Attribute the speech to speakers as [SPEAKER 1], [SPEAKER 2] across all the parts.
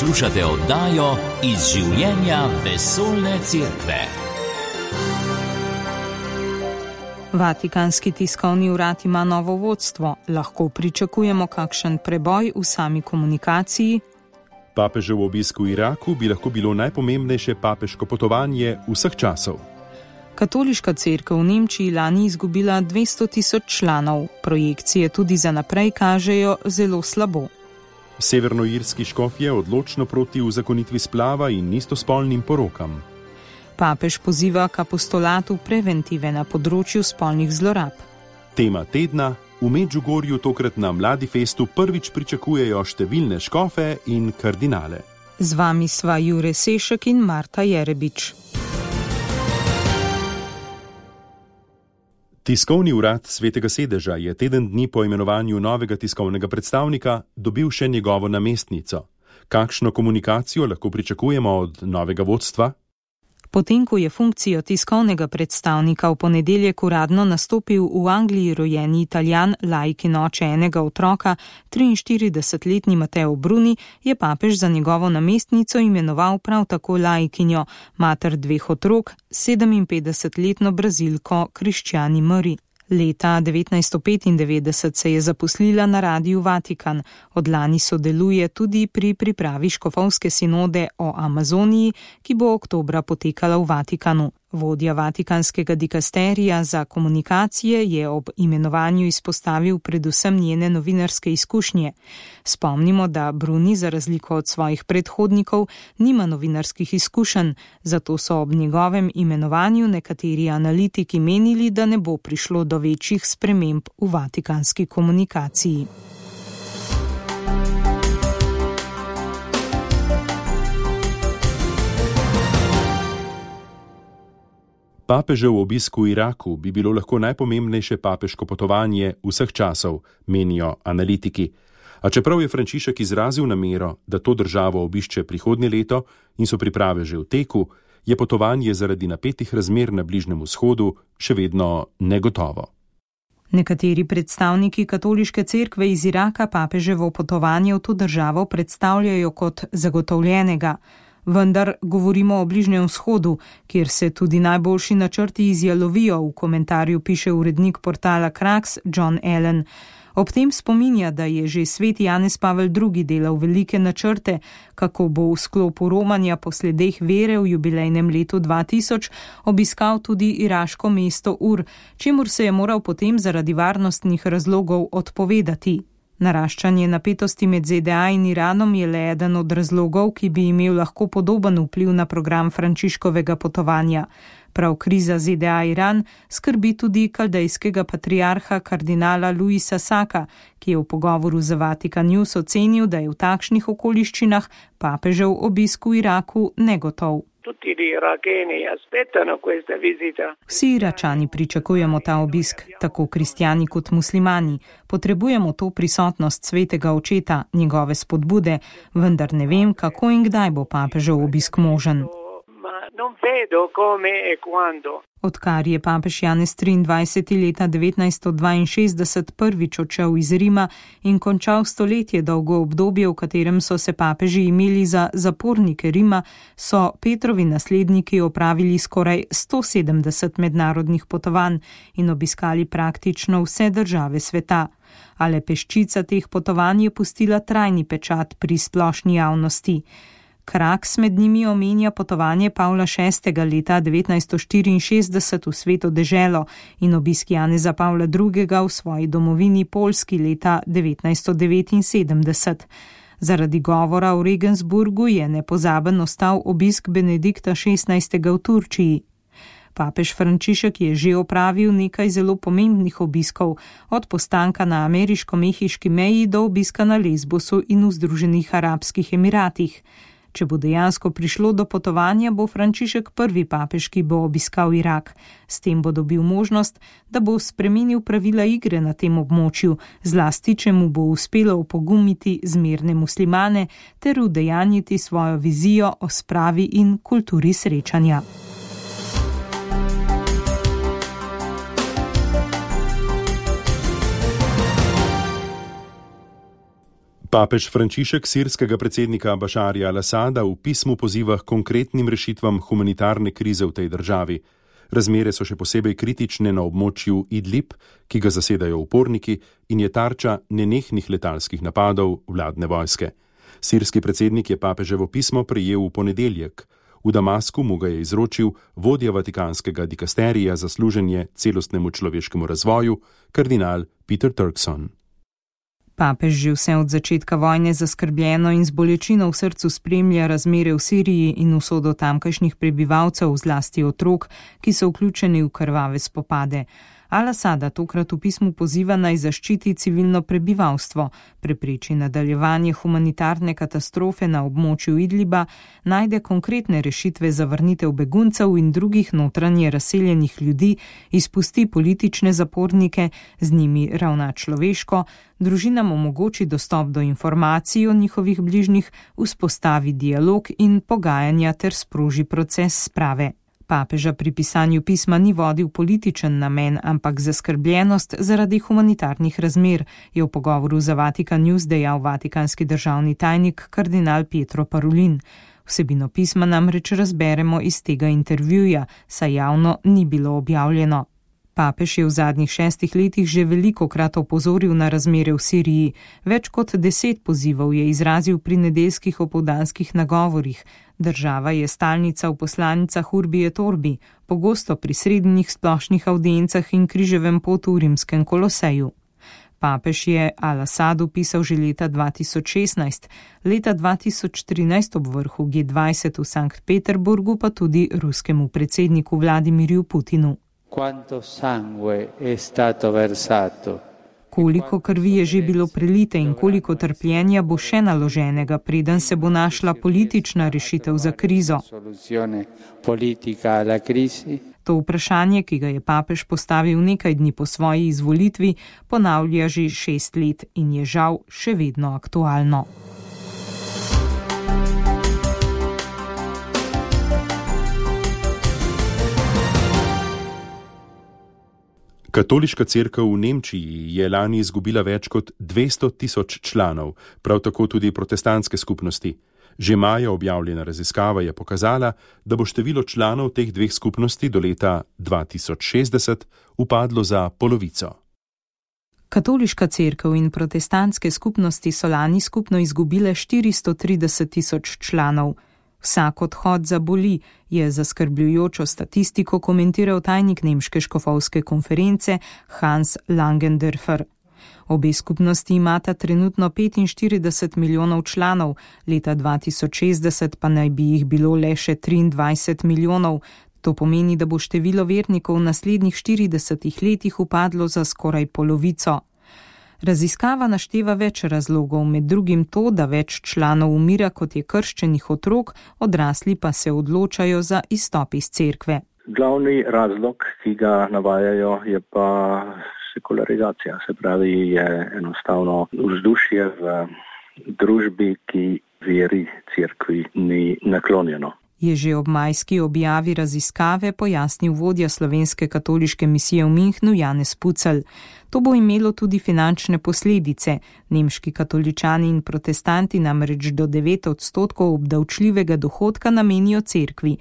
[SPEAKER 1] Poslušate oddajo Iz življenja vesoljne cerkve.
[SPEAKER 2] Vatikanski tiskovni urad ima novo vodstvo. Lahko pričakujemo kakšen preboj v sami komunikaciji?
[SPEAKER 3] Papežev obisk v Iraku bi lahko bilo najpomembnejše papeško potovanje vseh časov.
[SPEAKER 2] Katoliška cerkev v Nemčiji lani izgubila 200.000 članov. Projekcije tudi za naprej kažejo zelo slabo.
[SPEAKER 3] Severnoirski škof je odločno proti uzakonitvi splava in istospolnim porokam.
[SPEAKER 2] Papež poziva k apostolatu preventive na področju spolnih zlorab.
[SPEAKER 3] Tema tedna: v Medžugorju tokrat na Mladi festu prvič pričakujejo številne škofe in kardinale.
[SPEAKER 2] Z vami sva Jure Sešek in Marta Jerebič.
[SPEAKER 3] Tiskovni urad Svetega sedeža je teden dni po imenovanju novega tiskovnega predstavnika dobil še njegovo namestnico. Kakšno komunikacijo lahko pričakujemo od novega vodstva?
[SPEAKER 2] Potem, ko je funkcijo tiskovnega predstavnika v ponedeljek uradno nastopil v Angliji rojeni Italijan, laik in oče enega otroka, 43-letni Matteo Bruni, je papež za njegovo namestnico imenoval prav tako laikinjo, mater dveh otrok, 57-letno Brazilko Cristiani Mari. Leta 1995 se je zaposlila na Radiu Vatikan. Od lani sodeluje tudi pri pripravi škofovske sinode o Amazoniji, ki bo oktobra potekala v Vatikanu. Vodja vatikanskega dikasterija za komunikacije je ob imenovanju izpostavil predvsem njene novinarske izkušnje. Spomnimo, da Bruni za razliko od svojih predhodnikov nima novinarskih izkušenj, zato so ob njegovem imenovanju nekateri analitiki menili, da ne bo prišlo do večjih sprememb v vatikanski komunikaciji.
[SPEAKER 3] Papežev obisk v Iraku bi bilo lahko najpomembnejše papeško potovanje vseh časov, menijo analitiki. A čeprav je Frančišek izrazil namero, da to državo obišče prihodnje leto in so priprave že v teku, je potovanje zaradi napetih razmer na Bližnjem vzhodu še vedno negotovo.
[SPEAKER 2] Nekateri predstavniki katoliške cerkve iz Iraka papeževo potovanje v to državo predstavljajo kot zagotovljenega. Vendar govorimo o Bližnjem vzhodu, kjer se tudi najboljši načrti izjalovijo, v komentarju piše urednik portala Kraks John Allen. Ob tem spominja, da je že sveti Janez Pavel II. Delal velike načrte, kako bo v sklopu romanja po sledeh vere v jubilejnem letu 2000 obiskal tudi iraško mesto Ur, čemur se je moral potem zaradi varnostnih razlogov odpovedati. Naraščanje napetosti med ZDA in Iranom je le eden od razlogov, ki bi imel lahko podoben vpliv na program Frančiškovega potovanja. Prav kriza ZDA-Iran skrbi tudi kaldejskega patriarha kardinala Luisa Saka, ki je v pogovoru z Vatikan News ocenil, da je v takšnih okoliščinah papežev obisk v Iraku negotov. Vsi Iračani pričakujemo ta obisk, tako kristjani kot muslimani. Potrebujemo to prisotnost svetega očeta, njegove spodbude, vendar ne vem, kako in kdaj bo papežev obisk možen. Odkar je papež Janez 23. leta 1962 prvič odšel iz Rima in končal stoletje dolgo obdobje, v katerem so se papeži imeli za zapornike Rima, so Petrovi nasledniki opravili skoraj 170 mednarodnih potovanj in obiskali praktično vse države sveta. A le peščica teh potovanj je pustila trajni pečat pri splošni javnosti. Kraks med njimi omenja potovanje Pavla VI. Leta 1964 v Sveto deželo in obisk Janeza Pavla II. V svoji domovini Poljski leta 1979. Zaradi govora v Regensburgu je nepozaben ostal obisk Benedikta XVI. V Turčiji. Papež Frančišek je že opravil nekaj zelo pomembnih obiskov, od postanka na ameriško-mehiški meji do obiska na Lesbosu in v Združenih arabskih emiratih. Če bo dejansko prišlo do potovanja, bo Frančišek prvi papež, ki bo obiskal Irak. S tem bo dobil možnost, da bo spremenil pravila igre na tem območju, zlasti če mu bo uspelo opogumiti zmerne muslimane ter udejanjiti svojo vizijo o spravi in kulturi srečanja.
[SPEAKER 3] Papež Frančišek sirskega predsednika Bašarja al-Asada v pismu poziva k konkretnim rešitvam humanitarne krize v tej državi. Razmere so še posebej kritične na območju Idlib, ki ga zasedajo uporniki in je tarča nenehnih letalskih napadov vladne vojske. Sirski predsednik je papeževo pismo prejel v ponedeljek. V Damasku mu ga je izročil vodja vatikanskega dikasterija za služenje celostnemu človeškemu razvoju, kardinal Peter Turkson.
[SPEAKER 2] Papež že vse od začetka vojne zaskrbljeno in z bolečino v srcu spremlja razmere v Siriji in usodo tamkajšnjih prebivalcev, zlasti otrok, ki so vključeni v krvave spopade. Al-Asada tokrat v pismu poziva naj zaščiti civilno prebivalstvo, prepreči nadaljevanje humanitarne katastrofe na območju Idliba, najde konkretne rešitve za vrnitev beguncev in drugih notranje razseljenih ljudi, izpusti politične zapornike, z njimi ravna človeško, družinam omogoči dostop do informacij o njihovih bližnjih, vzpostavi dialog in pogajanja ter sproži proces sprave. Papeža pri pisanju pisma ni vodil političen namen, ampak zaskrbljenost zaradi humanitarnih razmer, je v pogovoru za Vatikan News dejal vatikanski državni tajnik kardinal Pietro Parolin. Vsebino pisma namreč razberemo iz tega intervjuja, saj javno ni bilo objavljeno. Papež je v zadnjih 6 letih že velikokrat opozoril na razmere v Siriji. Več kot 10 pozivov je izrazil pri nedeljskih opoldanskih nagovorih. Država je stalnica v poslanicah Urbi et Orbi, pogosto pri srednjih splošnih avdiencah in križevem potu v rimskem Koloseju. Papež je Al-Asadu pisal že leta 2016, leta 2013 ob vrhu G20 v Sankt Peterburgu pa tudi ruskemu predsedniku Vladimirju Putinu. Koliko krvi je že bilo prelite in koliko trpljenja bo še naloženega, preden se bo našla politična rešitev za krizo? To vprašanje, ki ga je papež postavil nekaj dni po svoji izvolitvi, ponavlja že 6 let in je žal še vedno aktualno.
[SPEAKER 3] Katoliška cerkev v Nemčiji je lani izgubila več kot 200 tisoč članov, prav tako tudi protestantske skupnosti. Že maja objavljena raziskava je pokazala, da bo število članov teh dveh skupnosti do leta 2060 upadlo za polovico.
[SPEAKER 2] Katoliška cerkev in protestantske skupnosti so lani skupno izgubile 430 tisoč članov. Vsak odhod zaboli, je zaskrbljujočo statistiko komentiral tajnik nemške škofovske konference Hans Langendorfer. Obe skupnosti imata trenutno 45 milijonov članov, leta 2060 pa naj bi jih bilo le še 23 milijonov. To pomeni, da bo število vernikov v naslednjih 40 letih upadlo za skoraj polovico. Raziskava našteva več razlogov, med drugim to, da več članov umira, kot je krščenih otrok, odrasli pa se odločajo za izstop iz cerkve.
[SPEAKER 4] Glavni razlog, ki ga navajajo, je pa sekularizacija, se pravi, je enostavno vzdušje v družbi, ki veri cerkvi ni naklonjeno.
[SPEAKER 2] Je že ob majski objavi raziskave pojasnil vodja slovenske katoliške misije v Münchnu Janez Pucelj. To bo imelo tudi finančne posledice. Nemški katoličani in protestanti namreč do 9% obdavčljivega dohodka namenijo cerkvi.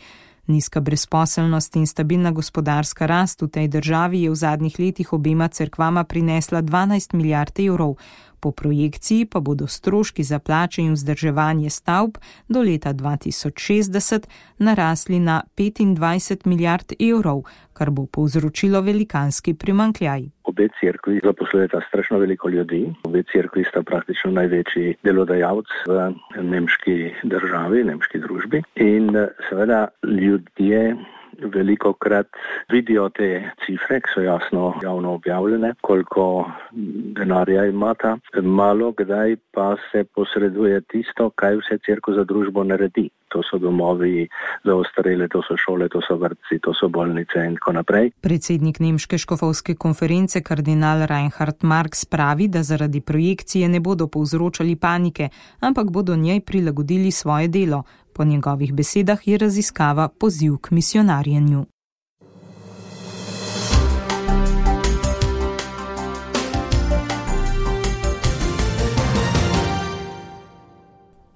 [SPEAKER 2] Nizka brezposelnost in stabilna gospodarska rast v tej državi je v zadnjih letih obema cerkvama prinesla 12 milijard evrov. Po projekciji pa bodo stroški za plače in vzdrževanje stavb do leta 2060 narasli na 25 milijard evrov, kar bo povzročilo velikanski primanjkljaj.
[SPEAKER 4] Obe cerkvi zaposlujeta strašno veliko ljudi. Obe cerkvi sta praktično največji delodajalec v nemški državi, nemški družbi. In seveda ljudje velikokrat vidijo te cifre, ki so javno objavljene, koliko denarja imata. Malo kdaj pa se posreduje tisto, kaj vse cerkev za družbo naredi. To so domovi za ostarele, to so šole, to so vrtci, to so bolnice in tako naprej.
[SPEAKER 2] Predsednik nemške škofovske konference kardinal Reinhard Marx pravi, da zaradi projekcije ne bodo povzročali panike, ampak bodo njej prilagodili svoje delo. Po njegovih besedah je raziskava poziv k misionarjenju.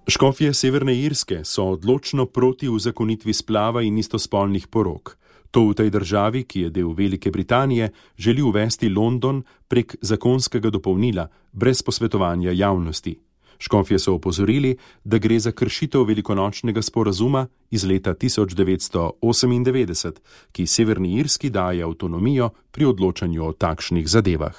[SPEAKER 3] Škofje Severne Irske so odločno proti uzakonitvi splava in istospolnih porok. To v tej državi, ki je del Velike Britanije, želi uvesti London prek zakonskega dopolnila, brez posvetovanja javnosti. Škofje so opozorili, da gre za kršitev velikonočnega sporazuma iz leta 1998, ki Severni Irski daje avtonomijo pri odločanju o takšnih zadevah.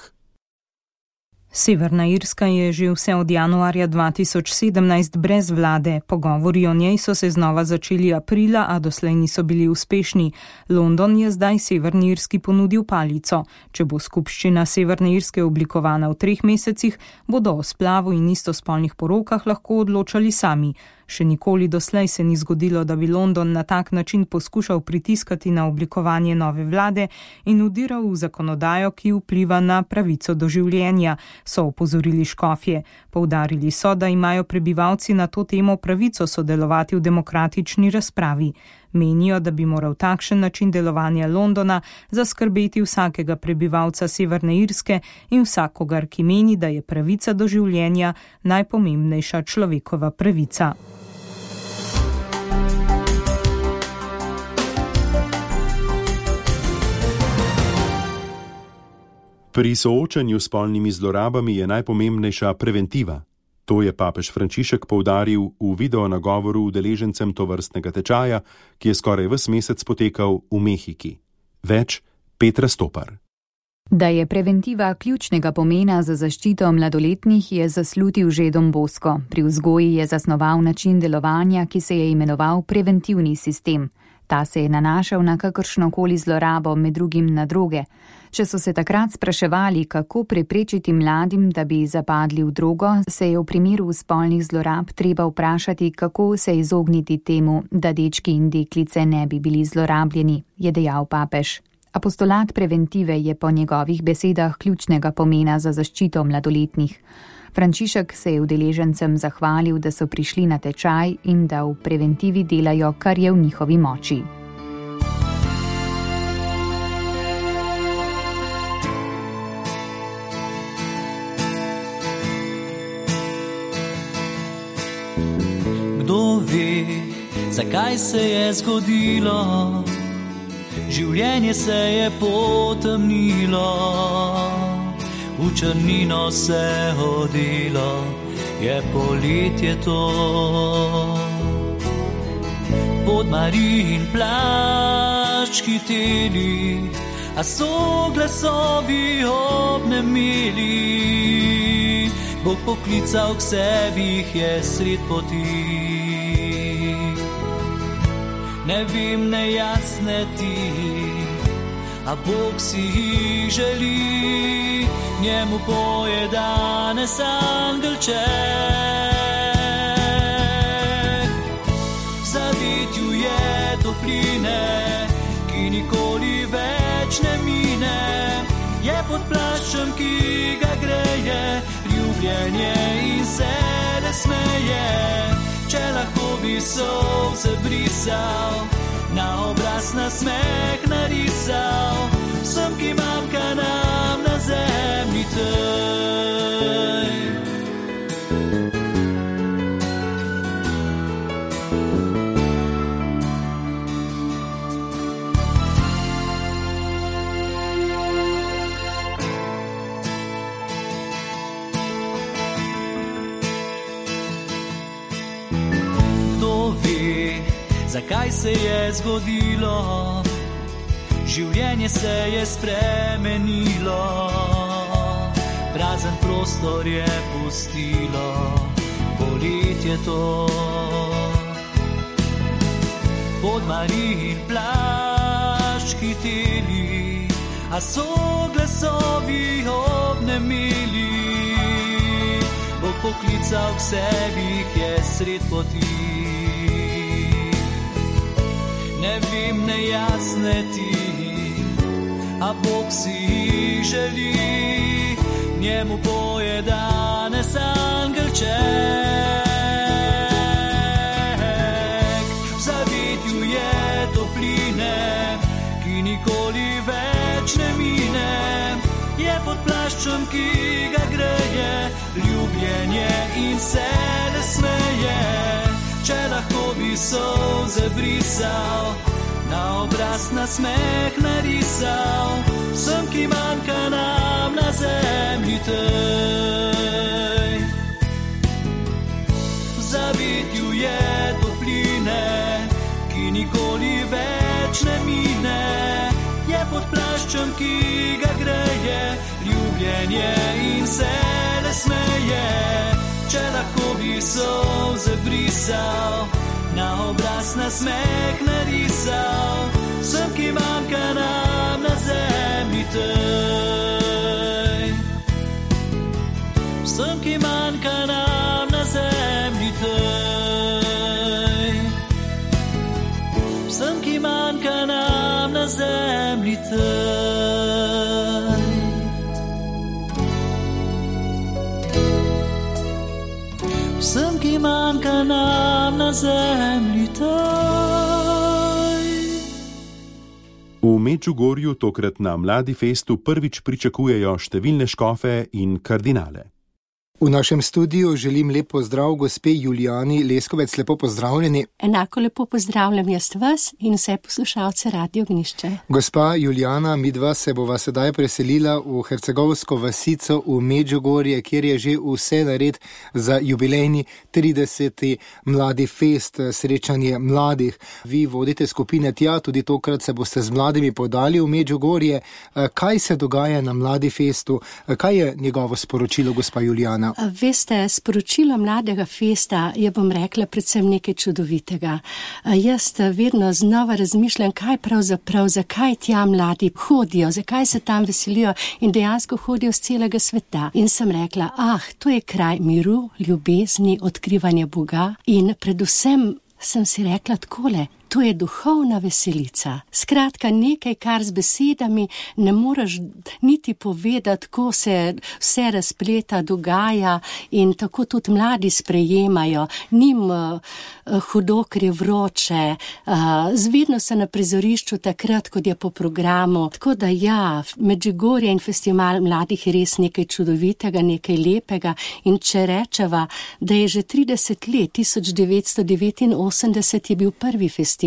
[SPEAKER 2] Severna Irska je že vse od januarja 2017 brez vlade. Pogovori o njej so se znova začeli aprila, a doslej niso bili uspešni. London je zdaj Severni Irski ponudil palico. Če bo skupščina Severne Irske oblikovana v 3 mesecih, bodo o splavu in istospolnih porokah lahko odločali sami. Še nikoli doslej se ni zgodilo, da bi London na tak način poskušal pritiskati na oblikovanje nove vlade in vdiral v zakonodajo, ki vpliva na pravico do življenja, so opozorili škofje. Poudarili so, da imajo prebivalci na to temo pravico sodelovati v demokratični razpravi. Menijo, da bi moral takšen način delovanja Londona zaskrbeti vsakega prebivalca Severne Irske in vsakogar, ki meni, da je pravica do življenja najpomembnejša človekova pravica.
[SPEAKER 3] Pri soočanju s spolnimi zlorabami je najpomembnejša preventiva. To je papež Frančišek poudaril v videonagovoru udeležencem tovrstnega tečaja, ki je skoraj ves mesec potekal v Mehiki. Več Petra Stopar.
[SPEAKER 5] Da je preventiva ključnega pomena za zaščito mladoletnih, je zaslutil že Don Bosco. Pri vzgoji je zasnoval način delovanja, ki se je imenoval preventivni sistem. Ta se je nanašal na kakršnokoli zlorabo, med drugim na droge. Če so se takrat spraševali, kako preprečiti mladim, da bi zapadli v drogo, se je v primeru spolnih zlorab treba vprašati, kako se izogniti temu, da dečki in deklice ne bi bili zlorabljeni, je dejal papež. Apostolat preventive je po njegovih besedah ključnega pomena za zaščito mladoletnih. Frančišek se je udeležencem zahvalil, da so prišli na tečaj in da v preventivi delajo, kar je v njihovi moči.
[SPEAKER 6] Kdo ve, zakaj se je zgodilo? Življenje se je potemnilo, v črnino se odilo, je poletje to. Pod Marijin plašč hiteli, a so glasovi obnemeli. Bog poklical k sebi, jih je sred poti. Ne vem, ne jasne ti, a Bog si jih želi, njemu poje danes angelček. V zavetju je topline, ki nikoli več ne mine, je pod plaščem, ki ga greje, ljubljenje in se ne smeje. Če lahko bi solze brisal, na obraz nasmeh narisal, vsem, ki manjka nam na zemlji tej. Zakaj se je zgodilo? Življenje se je spremenilo, prazen prostor je pustilo, poletje to. Pod Marijin plašč hiteli, a so glasovi obnemeli. Bog poklical k sebi, jih je sred poti. Ne vem, ne jasne ti, a Bog si jih želi, njemu poje danes angelček. V zavetju je topline, ki nikoli več ne mine, je pod plaščem, ki ga greje, ljubljenje in se ne smeje. solze brisal, na obraz nasmeh narisal, vsem, ki manjka nam na zemlji tej. V zavetju je topline, ki nikoli več ne mine, je pod plaščem, ki ga greje, ljubljenje in se ne smeje. Če lahko bi solze brisal, na obraz nasmeh narisal, vsem, ki manjka nam na zemlji tej. Vsem, ki manjka nam na zemlji tej. Vsem, ki manjka nam na zemlji tej. Vsem, ki manjka nam na zemlji tej.
[SPEAKER 3] V Medžugorju tokrat na Mladi festu prvič pričakujejo številne škofe in kardinale.
[SPEAKER 7] V našem studiu želim lep pozdrav gospe Julijani Leskovec, lepo pozdravljeni.
[SPEAKER 8] Enako lepo pozdravljam jaz vas in vse poslušalce Radio Ognišče.
[SPEAKER 7] Gospa Julijana, midva se bova sedaj preselila v hercegovsko vasico v Medžugorje, kjer je že vse nared za jubilejni 30. Mladi fest, srečanje mladih. Vi vodite skupine tja, tudi tokrat se boste z mladimi podali v Medžugorje. Kaj se dogaja na Mladi festu? Kaj je njegovo sporočilo, gospa Julijana?
[SPEAKER 8] Veste, sporočilo Mladega festa je, bom rekla, predvsem nekaj čudovitega. Jaz vedno znova razmišljam, kaj pravzaprav, zakaj tja mladi hodijo, zakaj se tam veselijo in dejansko hodijo z celega sveta. In sem rekla, to je kraj miru, ljubezni, odkrivanja Boga in predvsem sem si rekla takole, to je duhovna veselica. Skratka, nekaj, kar z besedami ne moreš niti povedati, ko se vse razpleta, dogaja in tako tudi mladi sprejemajo. Njim hudo, ker je vroče, zvedno se na prizorišču takrat, kot je po programu. Tako da Medžugorje in festival mladih je res nekaj čudovitega, nekaj lepega in če rečeva, da je že 30 let, 1989 je bil prvi festival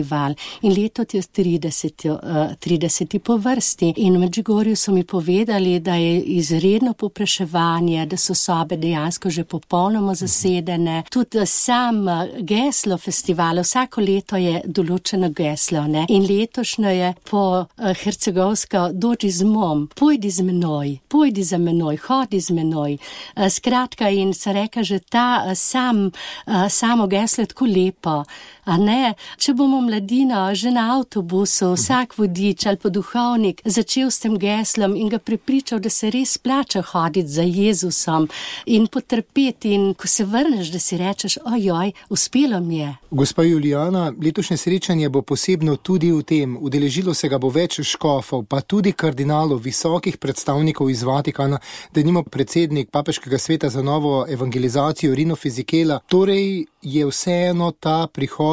[SPEAKER 8] in leto je 30 po vrsti. In v Medžugorju so mi povedali, da je izredno povpraševanje, da so sobe dejansko že popolnoma zasedene. Tudi sam geslo festivala, vsako leto je določeno geslo, ne? In letošnjo je po hercegovsko dođi z mom, pojdi z menoj, pojdi za menoj, hodi z menoj. Skratka, in se reka, že ta samo geslo je tako lepo. A ne, če bomo mladino že na avtobusu, vsak vodič ali pa duhovnik začel s tem geslom in ga prepričal, da se res splača hoditi za Jezusom in potrpeti in ko se vrneš, da si rečeš, ojoj, uspelo mi je.
[SPEAKER 7] Gospa Julijana, letošnje srečanje bo posebno tudi v tem, udeležilo se ga bo več škofov, pa tudi kardinalov, visokih predstavnikov iz Vatikana, denimo predsednik Papeškega sveta za novo evangelizacijo Rino Fisichella. Torej je vseeno ta prihod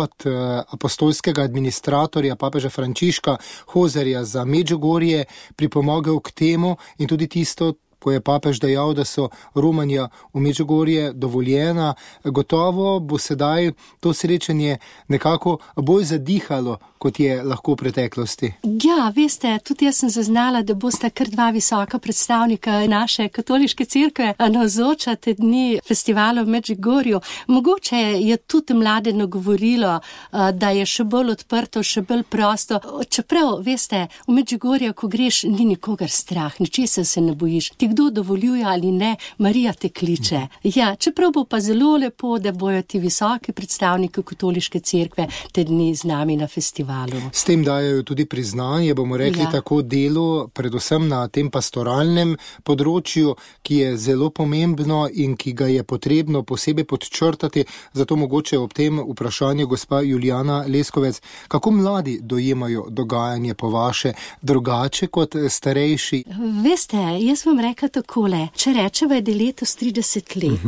[SPEAKER 7] apostolskega administratorja papeža Frančiška Hozerja za Medžugorje pripomogel k temu in tudi tisto, ko je papež dejal, da so romanja v Medžugorje dovoljena. Gotovo bo sedaj to srečanje nekako bolj zadihalo, kot je lahko v preteklosti.
[SPEAKER 8] Ja, veste, tudi jaz sem zaznala, da bosta kar dva visoka predstavnika naše katoliške cerkve navzoča te dni festivala v Medžugorju. Mogoče je tudi mlade nagovorilo, da je še bolj odprto, še bolj prosto. Čeprav, veste, v Medžugorju, ko greš, ni nikogar strah, ničesar se ne bojiš. Ti kdo dovoljuje ali ne, Marija te kliče. Ja, čeprav bo pa zelo lepo, da bojo ti visoki predstavniki katoliške cerkve te dni z nami na festivalu.
[SPEAKER 7] S tem dajo tudi priznanje, bomo rekli, tako delu, predvsem na tem pastoralnem področju, ki je zelo pomembno in ki ga je potrebno posebej podčrtati. Zato mogoče ob tem vprašanju, gospa Julijana Leskovec, kako mladi dojemajo dogajanje po vaše drugače kot starejši?
[SPEAKER 8] Veste, jaz vam rekla takole, če rečeva, da je letos 30 let,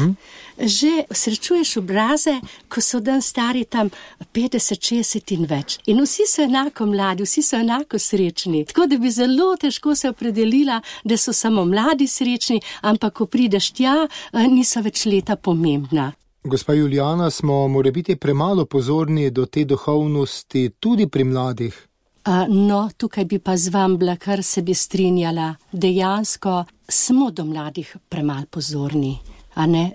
[SPEAKER 8] že srečuješ obraze, ko so dan stari tam 50, 60 in več. In vsi so enako mladi, vsi so enako srečni. Tako da bi zelo težko se opredelila, da so samo mladi srečni, ampak ko prideš tja, niso več leta pomembna.
[SPEAKER 7] Gospa Julijana, smo morebiti premalo pozorni do te duhovnosti tudi pri mladih?
[SPEAKER 8] No, tukaj bi pa z vam bila, kar se bi strinjala. Dejansko smo do mladih premalo pozorni.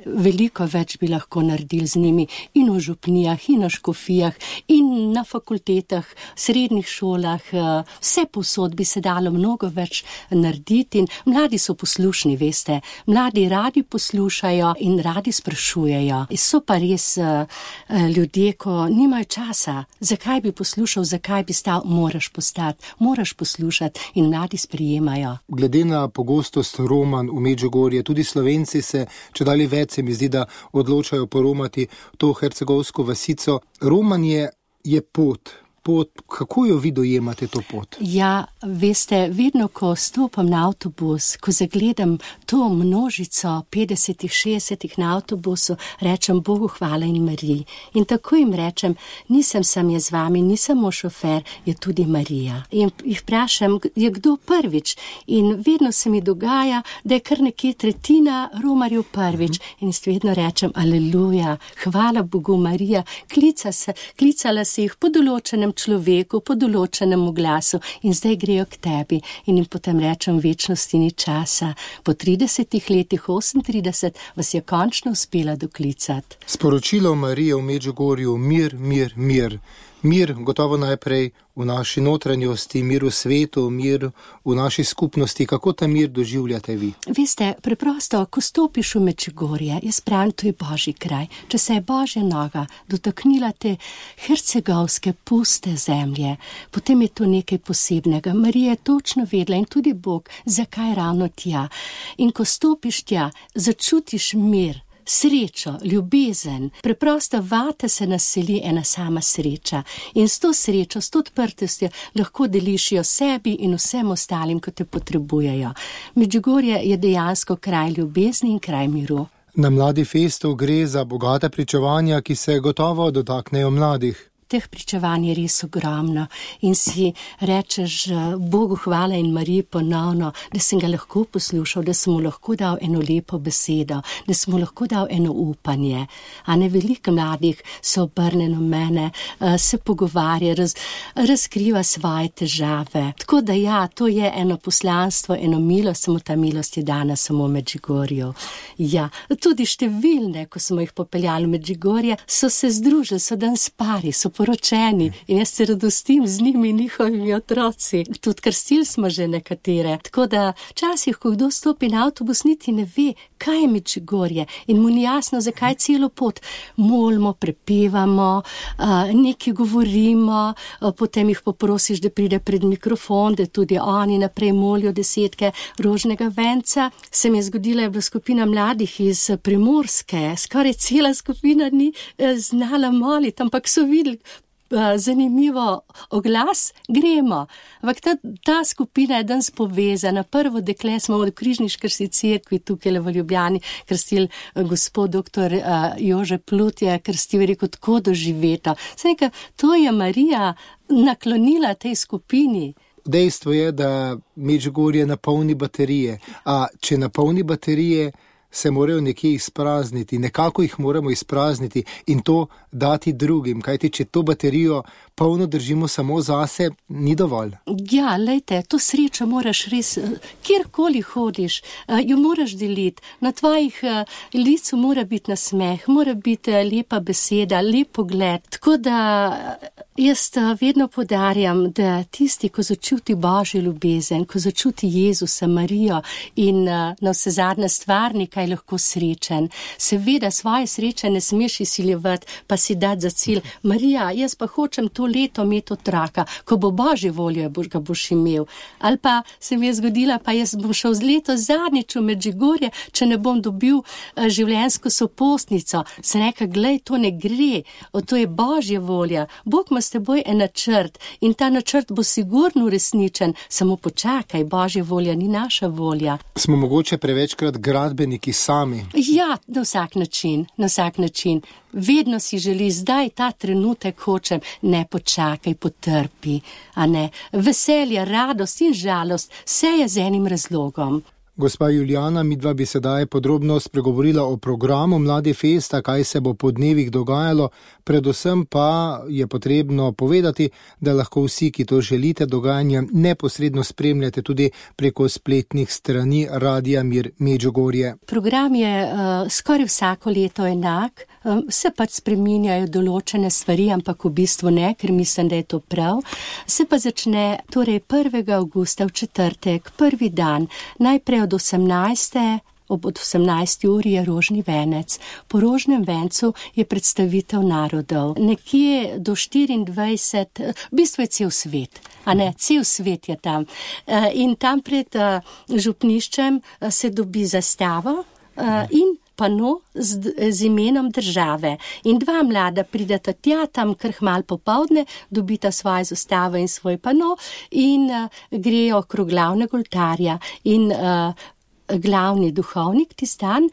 [SPEAKER 8] Veliko več bi lahko naredili z njimi in v župnijah, in na škofijah, in na fakultetah, srednjih šolah, vse povsod bi se dalo mnogo več narediti in mladi so poslušni, veste, mladi radi poslušajo in radi sprašujejo. So pa res ljudje, ko nimajo časa, zakaj bi poslušal, zakaj bi stal, moraš postati, moraš poslušati in mladi sprijemajo.
[SPEAKER 7] Glede na pogostost romanj v Medžugorje, tudi Slovenci se čedalje več se mi zdi, da odločajo poromati to hercegovsko vasico. Romanje je pot. Kako jo vi dojemate to pot?
[SPEAKER 8] Ja, veste, vedno, ko stopam na avtobus, ko zagledam to množico 50-60 na avtobusu, rečem Bogu hvala in Mariji. In tako jim rečem, nisem sam jaz z vami, nisem moj šofer, je tudi Marija. In jih vprašam, je kdo prvič? In vedno se mi dogaja, da je kar nekje tretjina romarjev prvič. In vedno rečem, aleluja, hvala Bogu Marija, klicala se jih po določenem človeku, po določenem glasu in zdaj grejo k tebi in jim potem rečem, večnosti ni časa. Po 30 letih, 38, vas je končno uspela doklicati.
[SPEAKER 7] Sporočilo Marije v Medžugorju, mir, mir, mir. Mir gotovo najprej v naši notranjosti, mir v svetu, mir v naši skupnosti. Kako ta mir doživljate vi?
[SPEAKER 8] Veste, preprosto, ko stopiš v Medžugorje, jaz pravim, to je Božji kraj. Če se je Božja noga dotaknila te hercegovske puste zemlje, potem je to nekaj posebnega. Marija je točno vedela in tudi Bog, zakaj ravno tja. In ko stopiš tja, začutiš mir, srečo, ljubezen, preprosto vate se naseli ena sama sreča in s to srečo, s to odprtostjo lahko deliš jo sebi in vsem ostalim, ko te potrebujejo. Medžugorje je dejansko kraj ljubezni in kraj miru.
[SPEAKER 7] Na Mladi festu gre za bogata pričevanja, ki se gotovo dotaknejo mladih.
[SPEAKER 8] Teh pričevanj je res ogromno in si rečeš Bogu hvala in Mariji ponovno, da sem ga lahko poslušal, da sem mu lahko dal eno lepo besedo, da sem mu lahko dal eno upanje. Veliko mladih se obrne na mene, se pogovarja, razkriva svoje težave. Tako da ja, to je eno poslanstvo, eno milost, samo ta milost je dana samo v Medžugorju. Ja, tudi številne, ko smo jih popeljali v Medžugorje, so se združili, so danes pari, so poročeni in jaz se radostim z njimi in njihovimi otroci. Tudi krstili smo že nekatere. Tako da včasih, ko kdo stopi na avtobus, niti ne ve, kaj je Medžugorje in mu ni jasno, zakaj celo pot. Molimo, prepevamo, nekaj govorimo, potem jih poprosiš, da pride pred mikrofon, da tudi oni naprej molijo 10 rožnega venca. Se mi je zgodila, je bila skupina mladih iz Primorske, skoraj cela skupina ni znala moliti, ampak so videli zanimivo oglas, gremo. Ampak ta skupina je danes povezana. Prvo dekle smo v Križniškarski cerkvi tukaj v Ljubljani krstili gospod dr. Jože Plut je krstil, rekel, tako doživeto. To je Marija naklonila tej skupini.
[SPEAKER 7] Dejstvo je, da Medžugorje napolni baterije, a če napolni baterije, se morajo nekje izprazniti, nekako jih moramo izprazniti in to dati drugim, kajti če to baterijo polno držimo samo zase, ni dovolj.
[SPEAKER 8] Ja, lejte, to srečo moraš res, kjerkoli hodiš, jo moraš deliti, na tvojih licu mora biti nasmeh, mora biti lepa beseda, lep pogled, tako da jaz vedno podarjam, da tisti, ko začuti Božjo ljubezen, ko začuti Jezusa, Marijo in na vse zadnje stvarnika je lahko srečen. Seveda svoje sreče ne smeš izsiljevati, pa si dati za cilj. Marija, jaz pa hočem to leto imeti otroka, ko bo Božje voljo, ga boš imel. Ali pa se mi je zgodila, pa jaz bom šel z leto zadnjič v Medžugorje, če ne bom dobil življenjsko sopostnico. Sem rekla, glej, to ne gre, to je Božja volja. Bog ima s teboj en načrt in ta načrt bo sigurno uresničen, samo počakaj, Božja volja ni naša volja.
[SPEAKER 7] Smo mogoče prevečkrat gradbeniki sami?
[SPEAKER 8] Ja, na vsak način. Vedno si želi, zdaj ta trenutek hočem, ne počakaj, potrpi, a ne. Veselje, radost in žalost, vse je z enim razlogom.
[SPEAKER 7] Gospa Julijana, midva bi sedaj podrobno spregovorila o programu Mladi festa, kaj se bo po dnevih dogajalo, predvsem pa je potrebno povedati, da lahko vsi, ki to želite, dogajanje neposredno spremljate tudi preko spletnih strani Radia Mir Medžugorje.
[SPEAKER 8] Program je skoraj vsako leto enak, se pač spreminjajo določene stvari, ampak v bistvu ne, ker mislim, da je to prav. Se pa začne torej 1. avgusta v četrtek, prvi dan, najprej od 18. Ob 18. uri je rožni venec. Po rožnem vencu je predstavitev narodov. Nekje do 24, v bistvu je cel svet, a ne, cel svet je tam. In tam pred župniščem se dobi zastavo in pano z imenom države. In dva mlada prideta tja, tam kar hmal popoldne, dobita svojo zastavo in svoj pano in grejo okrog glavnega oltarja in glavni duhovnik tisti dan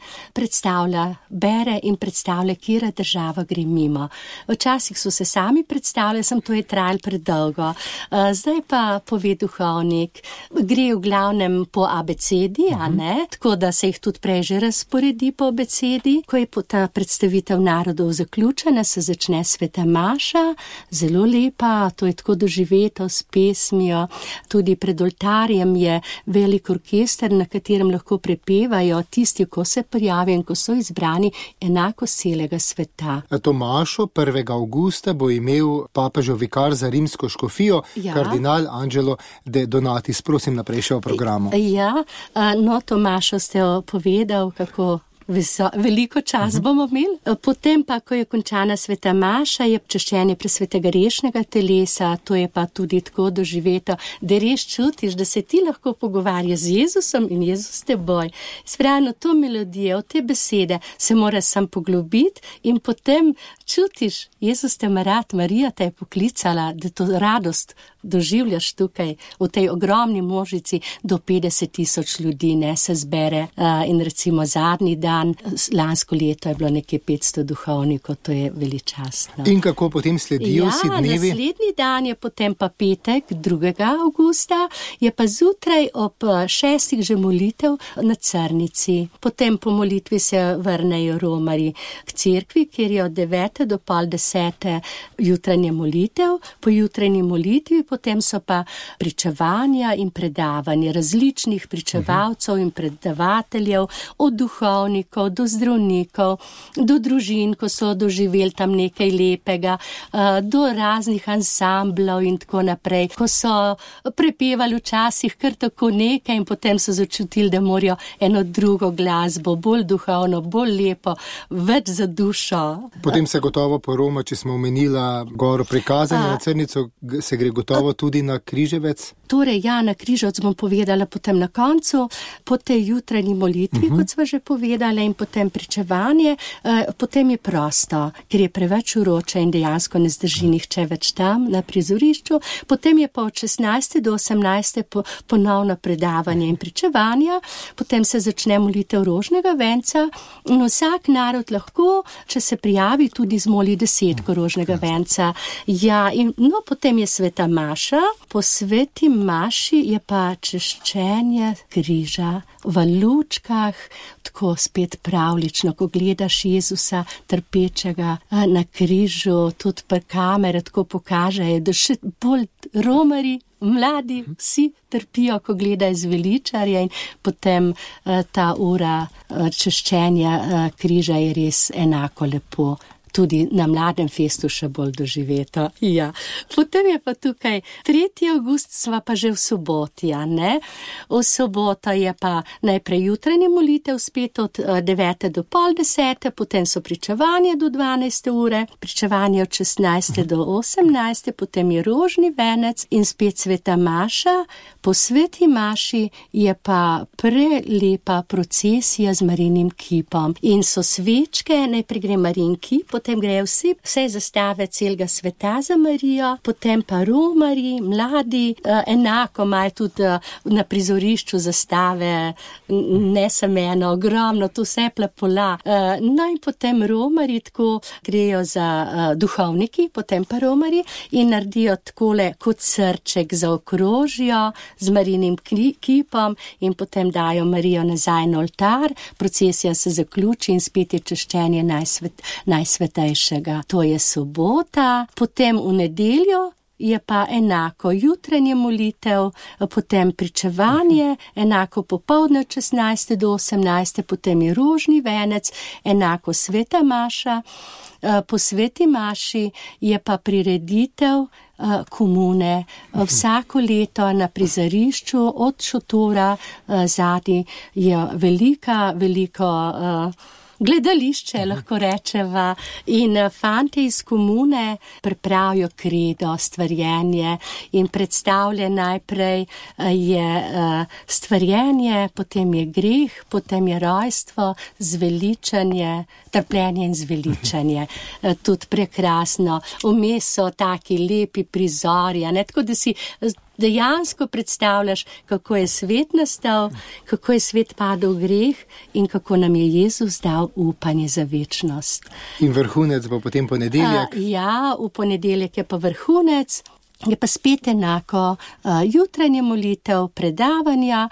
[SPEAKER 8] bere in predstavlja, kjera država gre mimo. Včasih so se sami predstavljali, to je trajalo predolgo. Zdaj pa pove duhovnik, gre v glavnem po abecedi, a ne? Tako da se jih tudi prej že razporedi po abecedi. Ko je ta predstavitev narodov zaključena, se začne sveta maša, zelo lepa, to je tako doživeto s pesmijo. Tudi pred oltarjem je velik orkester, na katerem lahko prepevajo tisti, ko se prijavijo in ko so izbrani enako celega sveta.
[SPEAKER 7] To mašo 1. avgusta bo imel papežev vikar za rimsko škofijo, kardinal Angelo de Donatis. Prosim, naprej še o programu.
[SPEAKER 8] Ja, to mašo ste povedal, kako veliko čas bomo imeli. Potem pa, ko je končana sveta maša, je čaščenje presvetega rešnega telesa, to je pa tudi tako doživeto, da res čutiš, da se ti lahko pogovarja z Jezusom in Jezus te boj. Spravno to melodijo, te besede se moraš sam poglobiti in potem čutiš, Jezus te ima rad, Marija te je poklicala, da to radost doživljaš tukaj, v tej ogromni množici do 50,000 ljudi, ne, se zbere in recimo zadnji dan, lansko leto je bilo nekaj 500 duhovnikov, to je veličastno.
[SPEAKER 7] In kako potem sledijo vsi dnevi?
[SPEAKER 8] Naslednji dan je potem pa petek, 2. avgusta, je pa zjutraj ob 6. že molitev na Crnici. Potem po molitvi se vrnejo romarji k cerkvi, kjer je od 9. do pol 10. jutranje molitev. Po jutranji molitvi potem so pa pričevanja in predavanja različnih pričevalcev in predavateljev, od duhovnikov do zdravnikov, do družin, ko so doživeli tam nekaj lepega, do raznih ansamblov in tako naprej, ko so prepevali včasih kar tako nekaj in potem so začutili, da morajo eno drugo glasbo, bolj duhovno, bolj lepo, več za dušo.
[SPEAKER 7] Potem se gotovo poroma, če smo omenila goro prikazanja na Crnico, se gre gotovo tudi na Križevec?
[SPEAKER 8] Torej, ja, na Križevec bom povedala potem na koncu, po tej jutranji molitvi, kot sva že povedala, in potem pričevanje, potem je prosto, ker je preveč vroče in dejansko ne zdrži nihče več tam na prizorišču. Potem je pa od 16. do 18. ponovno predavanje in pričevanja, potem se začne molitev rožnega venca in vsak narod lahko, če se prijavi, tudi zmoli 10 rožnega venca. Ja, in potem je sveta maša, po sveti maši je pa češčenje križa v lučkah, tako spet pravlično, ko gledaš Jezusa trpečega na križu, tudi pa kamere tako pokažejo, da še bolj romarji, mladi, vsi trpijo, ko gledajo zveličarja in potem ta ura češčenja križa je res enako lepo. Tudi na Mladem festu še bolj doživeto. Ja. Potem je pa tukaj 3. avgust, sva pa že v soboti, a ne? V soboto je pa najprej jutranje molitev, spet od 9. do pol 10. Potem so pričevanje do 12. ure, pričevanje od 16. do 18. Potem je rožni venec in spet sveta maša. Po sveti maši je pa prelepa procesija z Marijinim kipom. In so svečke, najprej gre Marijin kip, potem grejo vse zastave celega sveta za Marijo, potem pa romarji, mladi, enako imajo tudi na prizorišču zastave, ne samo eno, ogromno, to vse plapola. No in potem romarji tako grejo za duhovniki, potem pa romarji in naredijo takole kot srček zaokrožijo z Marijinim kipom in potem dajo Marijo nazaj na oltar, procesija se zaključi in spet je češčenje najsvetejšega. To je sobota, potem v nedeljo je pa enako jutranje molitev, potem pričevanje, enako popoldne od 16. do 18. potem je rožni venec, enako sveta maša. Po sveti maši je pa prireditev komune. Vsako leto na prizorišču od šotora zadnji je veliko gledališče, lahko rečeva, in fante iz komune pripravijo kredo, stvarjenje in predstavlja najprej je stvarjenje, potem je greh, potem je rojstvo, zveličanje, trpljenje in zveličanje. Tudi prekrasno. Vmes so taki lepi prizori, tako da si dejansko predstavljaš, kako je svet nastal, kako je svet padel v greh in kako nam je Jezus dal upanje za večnost.
[SPEAKER 7] In vrhunec bo potem ponedeljek?
[SPEAKER 8] Ja, v ponedeljek je pa vrhunec. Je pa spet enako, jutranje molitev, predavanja,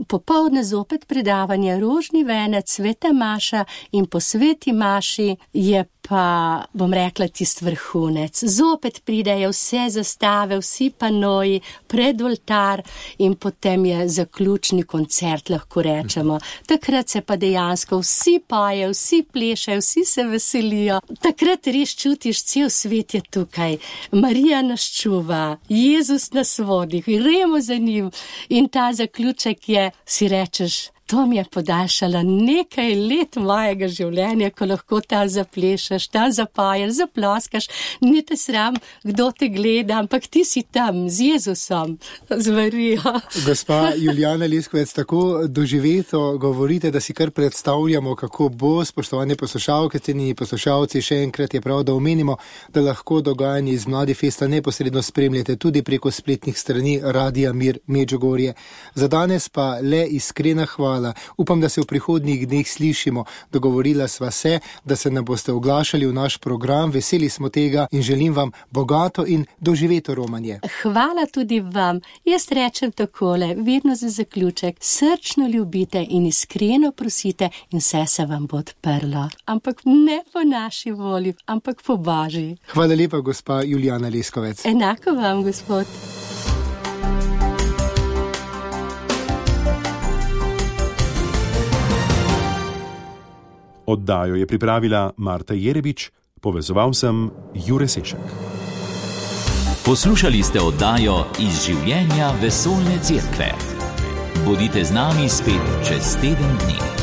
[SPEAKER 8] popoldne zopet predavanje, rožni venec, sveta maša in po sveti maši je pa, bom rekla, tist vrhunec. Zopet pridejo vse zastave, vsi panoji pred oltar in potem je zaključni koncert, lahko rečemo. Takrat se pa dejansko vsi pojejo, vsi plešajo, vsi se veselijo. Takrat res čutiš, cel svet je tukaj. Marija nas čuva, Jezus nas vodi, gremo za njim in ta zaključek je, si rečeš, to mi je podaljšala nekaj let mojega življenja, ko lahko ta zaplešaš, ta zapajaš, zaploskaš, ni te sram, kdo te gleda, ampak ti si tam z Jezusom, z Marijo.
[SPEAKER 7] Gospa Julijana Leskovec, tako doživeto govorite, da si kar predstavljamo, kako bo, spoštovane poslušalke, cenjeni poslušalci, še enkrat je prav, da omenimo, da lahko dogajanje iz Mladi festa neposredno spremljate tudi preko spletnih strani Radia Mir Medžugorje. Za danes pa le iskrena hvala. Upam, da se v prihodnjih dneh slišimo. Dogovorila sva se, da se nam boste oglašali v naš program. Veseli smo tega in želim vam bogato in doživeto romanje.
[SPEAKER 8] Hvala tudi vam. Jaz rečem takole, vedno za zaključek, srčno ljubite in iskreno prosite in vse se vam bo odprlo. Ampak ne po naši volji, ampak po Božji.
[SPEAKER 7] Hvala lepa, gospa Julijana Leskovec.
[SPEAKER 8] Enako vam, gospod.
[SPEAKER 3] Oddajo je pripravila Marta Jerebič, povezoval sem Jure Sešek.
[SPEAKER 1] Poslušali ste oddajo Iz življenja vesoljne cerkve. Bodite z nami spet čez teden dni.